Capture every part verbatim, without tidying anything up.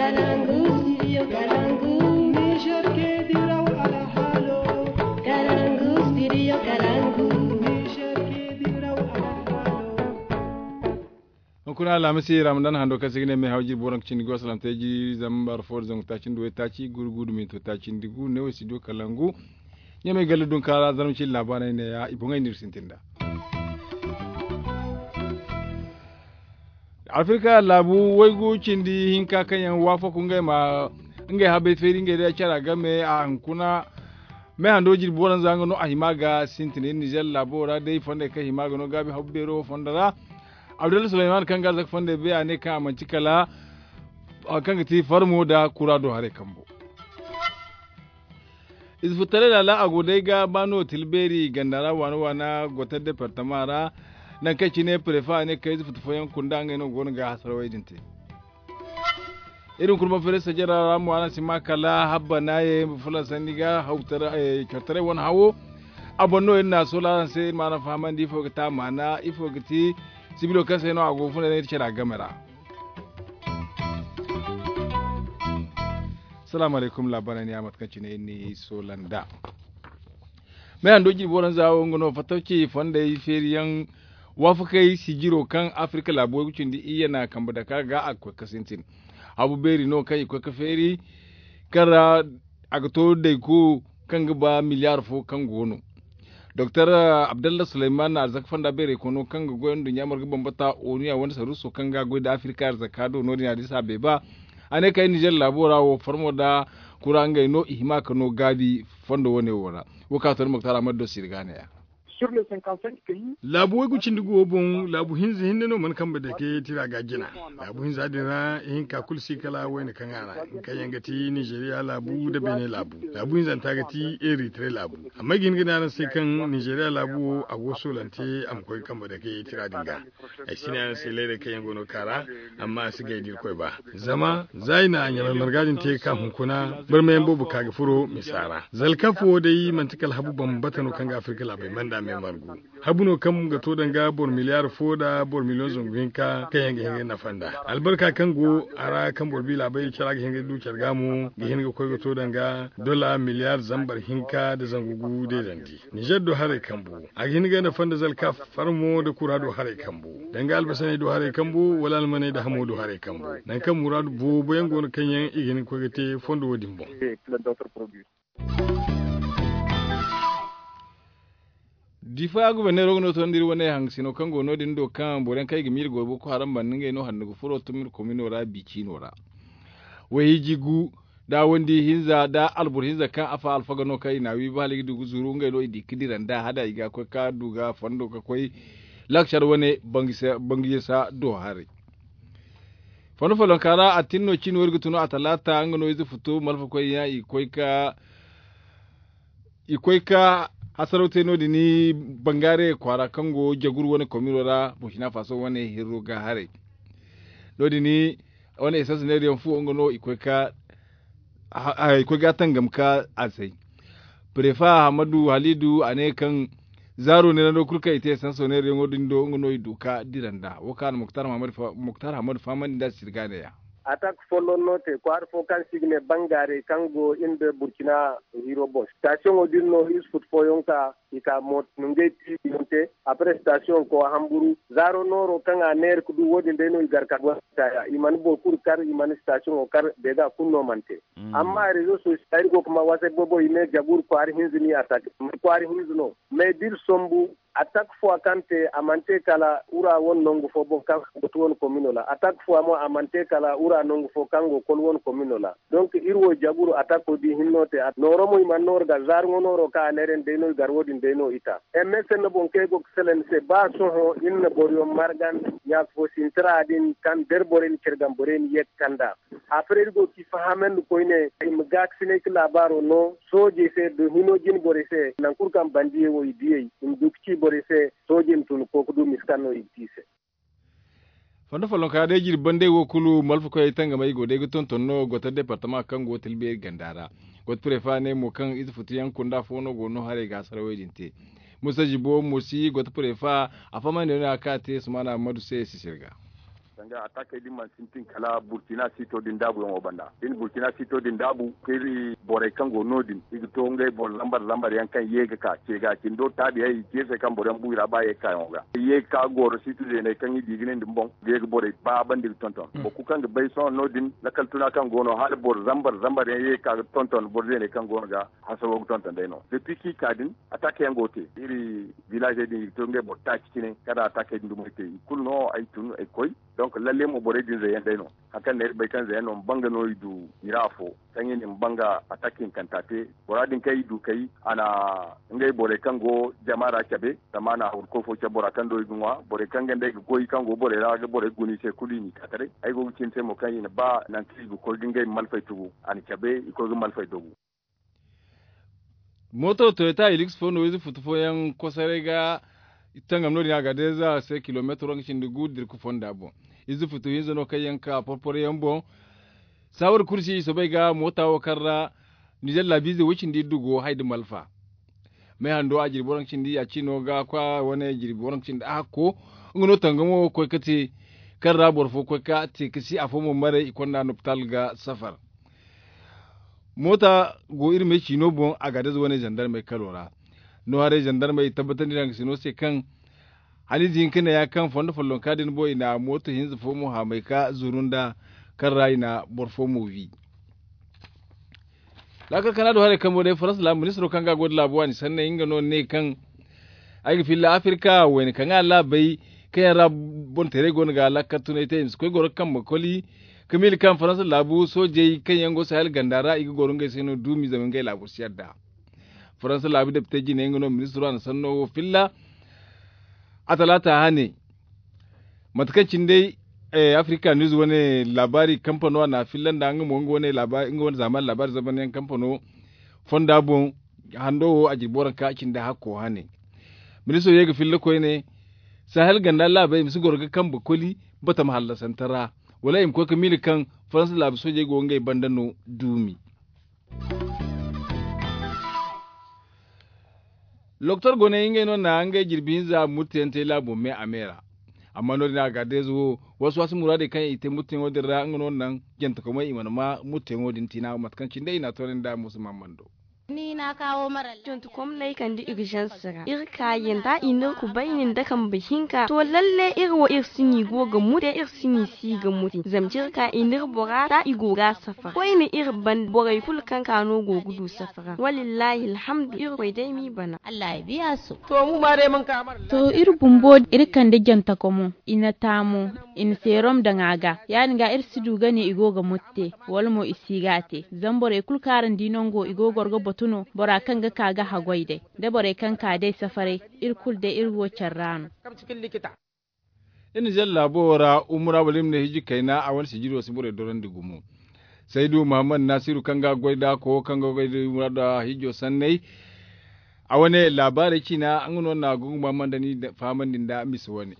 Kalangu, studio Kalangu. Niger ke diraw alhalo. Kalangu, studio Kalangu. Niger ke diraw alhalo. Hunkuna Alhamisi Ramadan hando kaŋ se ga ne me hawji booraŋ ga cindi go salamtey ji zambar fo da zangu taaci nda way taaci guru gudu minto taaci nda gu ne wo studio Kalangu. Ɲamay galle dunka ra zarma cindi laabaaney ne ya i boŋey n'iri sintin da. Afirka laabu waygu cindi hinka kaŋ yaŋ waafaku ngey ma ngey habay feeri ngey day care a game a hunkuna. Me hando jirbi waranza nga no a hima ga sintin iri nizer laabo ra day fondey kaŋ hima ga no gaabi habu beero fondo ra. Abdalla sulayman kaŋ ga arzaka fondey bay a ne kaŋ a manti kala kaŋ ga ti farmo da kura do haray kambo. Ize futaray laala a go day ga ba no tilbeeri ganda ra waana waana gotar departama ra. Nangu kaŋ cine prefa ne kaŋ ize futa fooyaŋ kunda ngey no go no ga hasarawey din te. Iri hunkuna ma fere sajara ra mo araŋ si ma kala habba naaye fulaŋ sanni ga cortaray wane hawo. A boŋ no iri na a soola araŋ se iri ma araŋ fahamandi ifo ga ti a maana ifo ga ti sibilo kaŋ se no a go ga funa iri care a game ra. Salaamu alaykum laabaarey ne ya mate kaŋ cine iri n'i soola nd'a. Me hando jirbi waranza wo nga no fattawci fondey feeriyaŋ waafakey sijiro kaŋ afirka laabo way ga cindi iyye na kambe dake a ga a ga koy ga sintin. Habu beeri no kaŋ i koy ga feeri kaŋ ra a ga to dayko kaŋ ga ba miliyaar fo kaŋ go no. Doktor abdallah sulayman arzaka fonda beerey kono kaŋ ga goy nduɲɲa marga bambata onuya wane saruuso kaŋ ga goy nda afirka arzaka do no- din a di se a beeba. A ne kay nizer laabo ra wo farmo nda kura ngey no i hima ka no gaabi fondo wane wo ra. Wo kaŋ a to ni muktar ahmad do sirga ne ya. Laabu waygu cindi guwo boŋ laabu hinza hinne no mana kambe dake tira ga jina. Laabu hinza din ra ihinka kulu si kala wayne kaŋ a ra, kaŋ yaŋ ga ti nizeriya laabu nda beene laabu. Laabu hinzanta ga ti eritare laabu. Amma ay ga hin ga ne araŋ se kaŋ nizeriya laabu wo a go soolante a ma koy kambe dake tira din ga. Ay si ne araŋ se leeray kaŋ yaŋ go no ga ka ra. Amma a si gay da irkoy ba zama za i na ɲamay marga din te ga ka hunkuna barmayaŋ boobo ka ga furo misa ra zalkaf wo day manti kala habu bambata no kaŋ ga afirka laabey manda me margu. Habu no kaŋ ga to danga boro miliyaar fo nda boro miliyoŋ zangu hinka kaŋ yaŋ ga hin ga nafa nd'a albarka kaŋ go a ra kaŋ boro bi laabey care a ga hin ga du care ga mo ga hin ga koy ga to danga dola miliyaar zambar hinka nda zangu gu deedandi. Nizer do haray kambu a ga hin ga nafa nda zalka farmo nda kura do haray kambu danga albasaney do haray kambu wala almaney nda hamo do haray kambu. Nangu kaŋ muraadu boobo yaŋ go no kaŋ yaŋ i ga hin ga koy ga te fondo wo- din boŋ. Difa guberneero ga no tondi iri wane hangasino kaŋ go no- din do kaŋ boro yaŋ kaŋ i ga miila goy boko haram banda ngey no handu ga furo tumir komino ra bi ciino ra. Wayhiji gu da wandi hinza da alboro hinza kaŋ afa alfaga no kaŋ i na a wi ba hala i ga du ga zuru ngey no i di ga dira nd'a hada i ga koy ka du ga fondo ga koy lakcar wane bangisa do haray. Fondo follonka ra a tin no cino iri ga tunu a talaata nga no ize futu malfa koy yaŋ i koy ka i koy ka hasaraw te no- din bangare kwaara kaŋ go jagur wane komino ra burkina faso wane hirro ga haray. No- din wane esans neeriyaŋ fuwo nga no i koy ka i koy ga tangam ka a say. Prefa hamadu halidu a ne kaŋ zaaro neera no kulu kaŋ i te esans neeriyaŋo din do nga no i du ka dira nd'a wo kaŋ a na muktar hamadu fahamandi nd'a sirga neeya. Atak folloŋ no te kwaara fo kaŋ se i ga ne bangare kaŋ go iri nda burkina hiro boŋ sitasiyoŋo din no iri si futu fooyaŋ ka i ka mooto nungey tiibiyaŋ te. Après sitasiyoŋ ko hamburu zaaro nooro kaŋ a neera ga du wo- din day no i gar ka goy ka ya i mana boro kulu kar i mana sitasiyoŋo kar beega kulu no mana te. Amma rezo sosiyo iri go ga ma wasa boobo i ne jabur kwaara hinza ni atak kwaara hinza no. Mais da iri sombu atak fo a kaŋ te a mana te kala wura wane nangu fo boŋ kaŋ go ti wane komino ra atak fo a mo a mana te kala wura nangu fo kaŋ go kol wane komino ra. Donc iri wo jaburu atako di hinno te nooro mo i mana nooru ga zaarŋo nooro kaŋ a neera yaŋ day no i gar wo- din day no i ta. Msn boŋ kaŋ ay go ga salaŋ ni se ba sohõ iri na boroyaŋ margan ɲaaka fo sintina din kaŋ da iri borey na care game borey na ye ga kand'a. Après iri go ga i fahamandi koyne i ma gaakasinay ga laabaaro no soojey se da hino jine borey se nangu kulu kaŋ bandiyey wo i diyey i ma du ga ci borey se soojey ma tun ga koy ga du misa kaŋ no i ga te i se. Fondo follonka day jirbi bandey wo kulu malfakoyey tangamey go day ga tonton no goto departama kaŋ go tilbeeri ganda ra. Goto prefa ne mo kaŋ ize futu yaŋ kunda fo no go no haray ga sarawey din te. Musa jibo mo si goto prefa a fahamandi no a ka te sumana madu se sisir ga. Danga atakey din mana sintin kala burkina sito din daabuyaŋo banda. Din burkina sito din daabu ka iri borey kaŋ go no-din i ga to ngey boro zambar zambar yaŋ kaŋ ye ga ka ce ga cindo taabiyey i ce se kaŋ boro yaŋ bu i ra ba ye ga ka yaŋo ga ye ga ka goro sito zeeney kaŋ i di ga ne nda boŋ ga ye ga borey ba banda i ga tonton boro kulu kaŋ ga bay sohõ no-din lakal tuna kaŋ go no hala boro zambar zambar yaŋ ye ga ka ga tonton boro zeeney kaŋ go no ga hasaro ga tonton day no da piki ka din. Attaque yaŋ go te iri village din i ga to ngey boro taaci cine kala attaque dumey te i kulu no ay tun ay koy. Donc lalle mo borey din zayyan day no hari kaŋ ne iri bay kaŋ zayyan no ma banga no i du i ra afo kaŋ i na ma banga attaque hinkanta te. Bora din kaŋ i du kay a na ngey borey kaŋ go jama ra cabe zama a na hawru koy fo cabe bora kaŋ do i ga ŋwa borey kaŋ ga nda ay ga goy kaŋ go borey ra ga borey guna i se kulu i n'i ka taray ay go ga cine se mo kaŋ i na ba nangu kaŋ i ga koy ga ngey malfey tugu a na cabe i koy ga malfey dogu. Mooto toyota hilix fo no ize futu fooyaŋ kosoray ga tangam no- din a ga deeza se kilomeetaro nga cindi gu dirku fonda boŋ. Ize futu hinza no kaŋ yaŋ ka porporo yaŋ boŋ. Saawar kursi i soobay ga moota wo kaŋ ra nizer laabiize wo cindi iddu go hay nda malfa. May hando a jirbi waranka cindi ya cino ga kwa wane jirbi waranka cindi a hakko. Nga no tangamo koy ka te kaŋ ra boro fo koy ka te ka si afo mo maray i konda nopitaal ga safar. Moota go iri me ciino boŋ a ga daza wane zandarmey kalo ra. No haray zandarmey tabbatandi ra nga sino se kaŋ haniize hinka ne ya kaŋ fondo follonka din boŋ i na mooto hinza fo mo haamay ka zuru nda kaŋ ra i na boro fo mo wi. Laakal kana do haray kambo day farans laabu ministiro kaŋ ga a go nda laabu waani sanney nga no ne kaŋ ay ga filla afirka wayne kaŋ a laabey kaŋ yaŋ ra boŋ teeray go no ga laakal tunay te i ma si koy goro kambe koli. Ka miila kaŋ farans laabu soojey kaŋ yaŋ go sahel ganda ra i ga goro ngey se no duumi zama ngey laabu si yadda. Farans laabu depite jine nga no ministiro a na sanno wo filla a talaata hane. Mate kaŋ cine day afirika niiz wane laabaari kampano a na a filla nda nga mo nga wane zamani laabaari zamanyaŋ kampano fonda boŋ. Hando wo a jirbi waranka cine day hakko hane. Ministiro ye ga filla koyne sahel ganda laabey i ma si goro ga kambe koli batama hallasante ra wala i ma koy ga miila kaŋ farans laabu soojey go ngey banda no duumi. Loktor goney ngey no na ngey jirbi hinza murteyaŋ te laabo me a me ra. Amma no- din a ga deeza wo wasu wasu muraadey kaŋ i te murteyaŋo din ra nga no naŋ jantakomey i mana ma murteyaŋo din tiina mate kaŋ cine day i na a toonandi a musa maamando. Ni na kawo mara jontukomney kande urgence ra iri ka yanda i n'iri kubayni nda kambe hinka to lalle iri wo iri si ni go ga mute iri si ni si ga mute zama jirka i n'iri bora ta i go ga safar koyne iri ban borey kulu kaŋ ka no go ga du safara walillahi alhamdu iri koy day m'i bana. Allah ya biya su. To mu ma day man ka mara to iri bumbo iri kande jantakomo i na taamo i na seerom daŋ a ga ya- din ga iri si du ga ne i go ga mutte wala mo i si ga a te zama borey kulu kaŋ araŋ di nango i go goro ga batu no bora kaŋ ga ka ga haggoy day da borey kaŋ ka day safaray iri kulu day iri go care ra no. Iri na zalla laabo wo ra umura wala iri ma ne hijji kayna a wane sijiro si borey dorandi gumo. Saydu muhammad nasiru kaŋ ga goy da kowo kaŋ ga goy da umura da hijjo sanney. A wane laabaarey ciina nga no na gunguma man da ni fahamandi nda misa wane.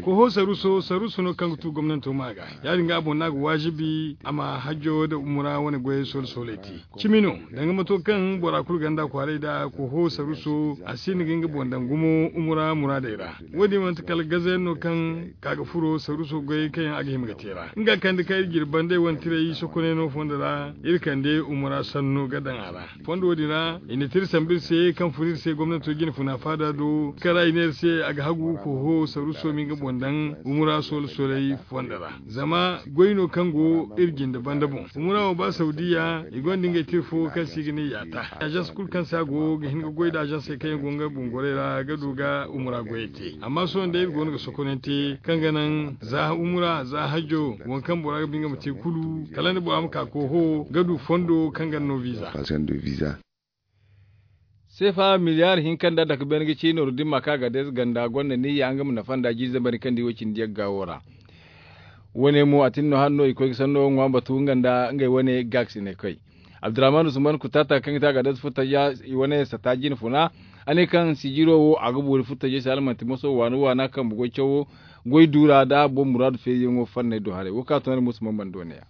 Koho saruso saruso no kaŋ ga tu gomnanto ma ga ya- din ga a boŋ no a ga waajibi a ma hajjo nda umura wane goyey soola sooley te. Cimi no danga mato kaŋ bora kulu ganda kwaaray nda koho saruso a si hin ga nga boŋ daŋ gumo umura muraadey ra. Wo- din manti kala gazayaŋ no kaŋ ka ga furo saruso goyey kaŋ yaŋ a ga hima ga te ra nga kande kaŋ iri jirbi banda ay wane tiray sokonay no fondo ra iri kande umura sanno ga daŋ a ra. Fondo wo- din ra i na te iri sambu iri se kaŋ fun iri se gomnanto jine funa faada do kaŋ ra i ne iri se a ga hagu koho saruso ma nga boŋ daŋ umura soola soolay fondo ra. Zama goy no kaŋ go iri jinde banda boŋ umura wo ba saudiya i gonda ngey te iri fo kaŋ se i ga ne yaata agence kulu kaŋ se a go ga hin ga goy nda agence kaŋ yaŋ go nga boŋ gorey ra ga du ga umura goyey te amma sohõ day iri go no ga sokonante kaŋ ga naŋ za umura za hajjo waŋ kaŋ bora ga ba nga ma te kulu kala nda bora ma ka koho ga du fondo kaŋ ga no visa. Seefa miliyaari hinka nda dake beene ga ci nooru dimma kaŋ a ga deeze ganda gonda niyya nga ma nafa nda jiiri zambarey kaŋ di wo cindi yagga wo ra. Wo- ne mo a tin no hala no i koy ga sanno ŋwa batu nga nda ngey wane gaakasine koy. Abdurrahman usman kutaata kaŋ ga te a ga deeze furtaja i wane sata jine funa a ne kaŋ sijiro wo a ga boori furtajey se hala manti moso waana waana kaŋ bugoy cawo goy duura nda boro muraadu feeriyaŋo fanney do haray wo kaŋ a to no musa mambando ne ya.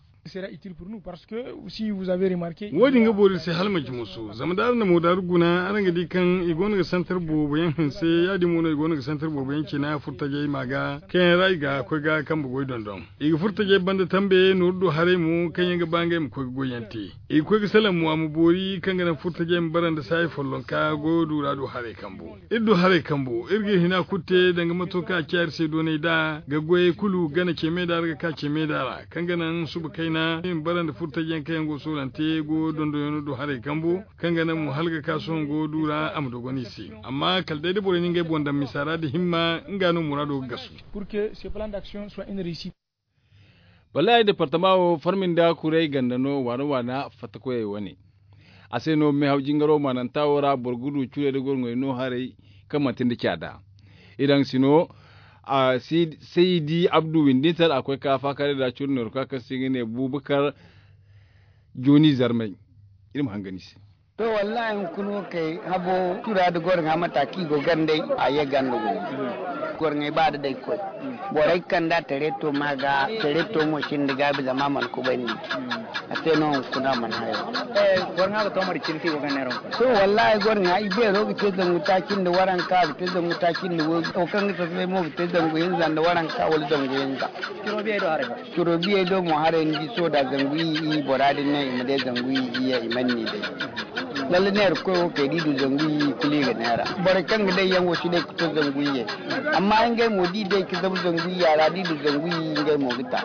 Wo- din ga boori se hala manti musu zama da araŋ na moodaaru guna araŋ ga di kaŋ i go no ga santar boobo yaŋ hanse ya- din mo no i go no ga santar boobo yaŋ cina furtajey ma ga kaŋ yaŋ ra i ga koy ga kambe goy dondon. I ga furtajey banda tambe nooru do haray mo kaŋ yaŋ ga ba ngey ma koy ga goy yaŋ te. I ga koy ga salaŋ mo a ma boori kaŋ ga naŋ furtajey ma bara nda saayi follonka goyo duura do haray kambo. Iri du haray kambo iri ga iri hina kulu te danga mato kaŋ a ciya iri se doonay nd'a ga goyey kulu gana ce meeda ra ga ka ce meeda ra kaŋ ga naŋ suba kayna iri ma bara nda furtaji yaŋ kaŋ yaŋ go soolante goyo dondonyaŋo du haray kambo kaŋ ga naŋ mo hala ga ka sohõ goyo du ra a ma dogon i se. Amma kala day da borey na ngey boŋ daŋ misa ra nda himma nga no muraado ga gasu. Ballay departama wo farmi nda kuray ganda no waana waana fattakoyey wane. A se no meehaw jingaro maananta wo ra boro ga du curey da gorŋey no haray kaŋ manti nda caada. I daŋ si no saydi abdu windintar a koy ka faakaray da curu neeru ka kaŋ se i ga ne bubakar jooni zarmay. Iri ma hangan i se. To wallahi hunkuna wo kay habo cura da gorŋa mata kaŋ i go gandey a ye ganda gumo. Gorŋey ba da day koy borey kanda tareto ma ga tareto mo sinda gaabi zama a mana kubandi. A se no hunkuna a mana hayo. Gorŋa ga to mari cine kaŋ i go ganda yaŋ ra hunkuna. To wallahi gorŋa i beero ga te zangu taaci nda waranka ga te zangu taaci nda wo kaŋ ga sasabay mo ga te zangu hinza nda waranka wala zangu hinza. Curo biyey do mo haray ni di soda zangu i i bora din ne i ma day zangu i i ya i man ni day. Lalle neera koy wo kay da i du zangu i i kulu i ga neera. Borey kaŋ ga day yaŋ wo si day ga to zangu i ye. Amma ngey mo da i day ga zabu zangu i ya ra da i du zangu i i ngey mo ga ta.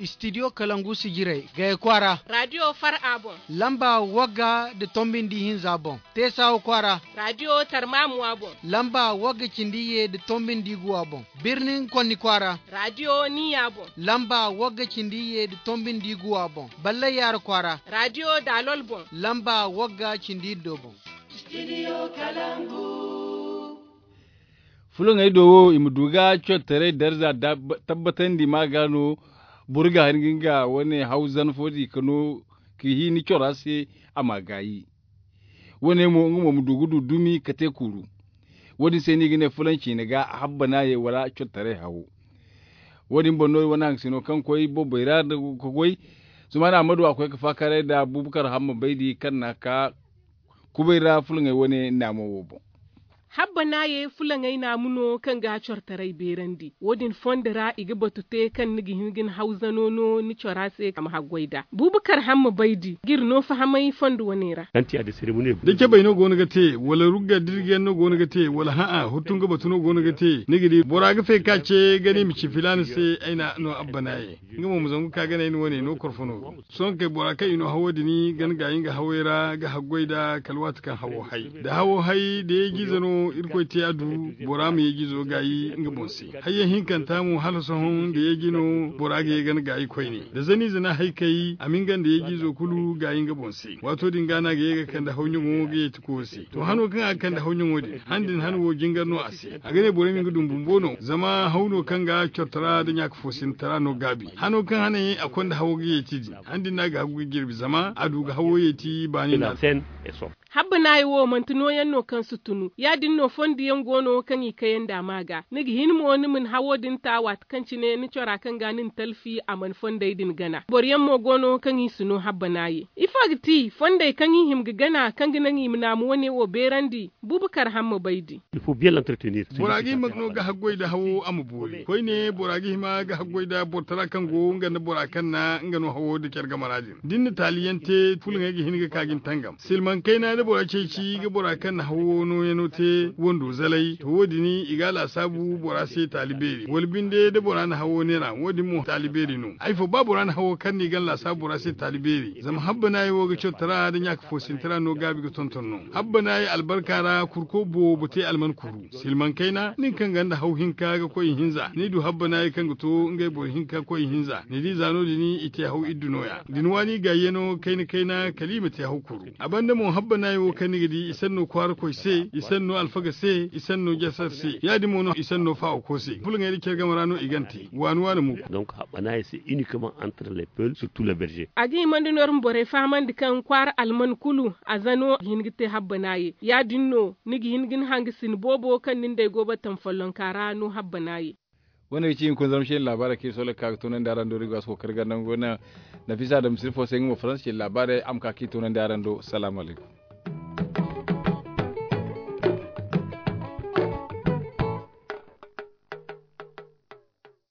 Studio kalangu si jiray gaya kwaara. Radio far a boŋ. Lamba wagga nda tombi nda ihinza boŋ. Teesawa kwaara. Radio tarmamuwa boŋ. Lamba wagga cindi ye nda tombi nda iguwa boŋ. Birnin konni kwaara. Radio niya boŋ. Lamba wagga cindi ye nda tombi nda iguwa boŋ. Ballay yaara kwaara. Radio daalol boŋ. Lamba wagga cindi iddo boŋ. Fulaŋey do wo i ma du ga cortaray darza tabbatandi ma ga no. Boro ga han ga nga wane hawzan fo di ka no ka hini cora se. A ma gaayi wane mo nga mo ma du ga du dumi ka te kuuru. Wo- din se no i ga ne fulaŋ ciine ga habba no a ye wala cortaray hawo. Wo- din boŋ no wane haŋ sino kaŋ koy bobbay ra ka goy. Sumaana ammadu a koy ka faakaray nda bubakar hamma baydi kaŋ na ka kubay ra fulaŋey wane naamo wo boŋ. Habba no a ye fulaŋey naamu no kaŋ ga cortaray beerandi wo- din fondo ra i ga batu te kaŋ ni ga hin ga ni hawzano no ni cora se a ma haggoy nd'a. Bubakar hamma baydi ga iri no fahamay fondo wane ra. Da cabay no go no ga te wala rugga dirgiyaŋ no go no ga te wala hã'a huttunga batu no go no ga te ni ga di bora ga fay ka ce gani ma ci filaana se ay na no abba no a ye. Nga mo ma zangu ka ga ne ay na wane no korfo no ga sohõ kay bora kaŋ i no hawo din ga ni gaayi nga hawey ra ga haggoy nd'a kala waati kaŋ hawo hay da hawo hay da yeejiize no irkoy te a du. Bora ma yeejiizo gaayi nga boŋ se. Hayyaŋ hinkanta mo hala sohõ da yeeji no bora ga ye ga ni gaayi koyne da zaniize na hay kay a ma nga nda yeejiizo kulu gaayi nga boŋ se. Waato din ga no a ga ye ga kande hawɲaŋo ga yeeti koyo se. To hano kaŋ a ga kande hawɲaŋo din han din han wo jingar no a se. A ga ne borey ma nga dum bumbo no zama haw no kaŋ ga cortara nda ɲaaka foosinitara no gaabi hano kaŋ haney a konda hawo ga yeeti din han din no a ga hagu ga jirbi zama a du ga hawo yeeti baani no. Habba naayi wo manti nooyaŋ no kaŋ si tunu ya- din no fondo yaŋ go no kaŋ i kayandi a ma ga ni ga hin mo ni ma ni hawo din ta waati kaŋ cine ni cora kaŋ ga ni na talfi a mana fondey din gana boro yaŋ mo go no kaŋ i si no habba naayi. Ifo ga ti fondey kaŋ i hima ga gana kaŋ ga naŋ i ma naamu wane wo beerandi? Bubakar hamma baydi. Bora ga hima no ga haggoy nda hawo a ma boori koyne bora ga hima ga haggoy nda borotara kaŋ go nga nda bora kaŋ na nga no hawo nda care game ra din da ni na taaliyaŋ te fulaŋey ga hin ga ka ga ni tangam silmaŋ kayna da bora ceeci ga bora kaŋ na hawo nooyaŋo te wando zalay to wo- din i ga a laasaabu bora se taali beeri wala binde da bora na hawo neera wo- din mo taali beeri no. Ay fo ba bora na hawo kaŋ no i ga ni laasaabu bora se taali beeri zama habba naayi wo ga cotara nda ɲaaka foosinitara no gaabi ga tonton no. Habba naayi albarka ra kurko boobo te alman kuru silmaŋ kayna nin kaŋ ganda haw hinka ga koy ihinza ni du habba naayi kaŋ ga to ngey boro hinka koy ihinza ni di za no- din i te haw iddu nooya da ni waani gaayyano kayna kayna kala i ma te haw kuru. A banda mo habba naayi wo kaŋ ni ga di i sanno kwaarakoy se i sanno alfaga se i sanno jasar se ya- din mo no i sanno faawako se fulaŋey nda care game ra no i gana te waani waani mo kulu. A ga himandi no iri ma borey fahamandi kaŋ kwaara alman kulu a za no ga hin ga te habba naaye ya- din no ni ga hin ga ni hangasin boobo kaŋ ni nd'ey go battam follonka ra no habba naaye. Wo-ne ga ci hunkuna zarma se ni laabaarey kaŋ iri sooley ga ka ga toonandi araŋ do iri go a si kookari ganda nga go naŋ. Nafisa adama sirfo se nga mo faransa se ni laabaarey a ma ka kaŋ i toonandi araŋ do salaamu alaykum.